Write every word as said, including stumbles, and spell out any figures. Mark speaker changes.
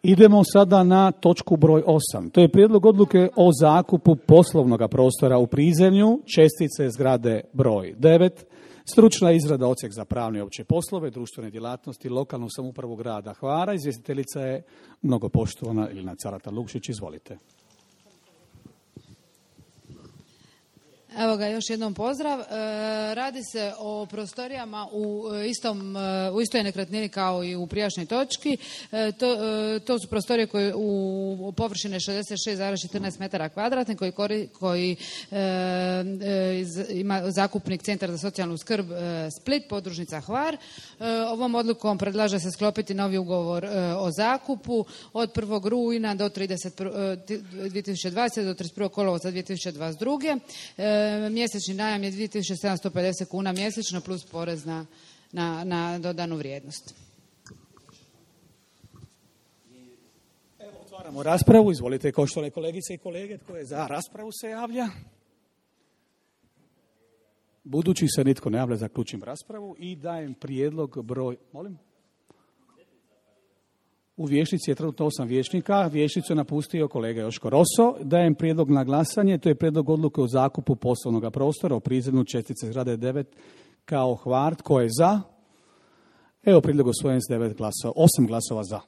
Speaker 1: Idemo sada na točku broj osam. To je prijedlog odluke o zakupu poslovnog prostora u prizemlju, čestice zgrade broj devet, stručna izrada odsjek za pravne i opće poslove, društvene djelatnosti, lokalnu samoupravu grada Hvara. Izvjestiteljica je mnogopoštovana Ilina Carata-Lukšić. Izvolite.
Speaker 2: Evo ga, još jednom pozdrav. E, radi se o prostorijama u, istom, u istoj nekretnini kao i u prijašnjoj točki. E, to, e, to su prostorije koje u površine šezdeset šest zarez četrnaest metara kvadratnih koji, kori, koji e, e, ima zakupnik Centar za socijalnu skrb e, Split, podružnica Hvar. E, ovom odlukom predlaže se sklopiti novi ugovor e, o zakupu od prvog rujna do dvije tisuće dvadesete do trideset prvog kolovoza dvije tisuće dvadeset druge. E, Mjesečni najam je dvije tisuće sedamsto pedeset kuna mjesečno plus porez na, na, na dodanu vrijednost.
Speaker 1: Evo, otvaramo raspravu. Izvolite, poštovane kolegice i kolege, tko je za raspravu se javlja? Budući se nitko ne javlja, zaključim raspravu i dajem prijedlog broj... Molim? U vijećnici je trenutno osam vijećnika, vijećnicu je napustio kolega Joško Roso. Dajem prijedlog na glasanje, to je prijedlog odluke o zakupu poslovnog prostora u prizemlju čestice zgrade devet kao Hvar. Tko je za? Evo prijedlog usvojen s devet glasova, osam glasova za.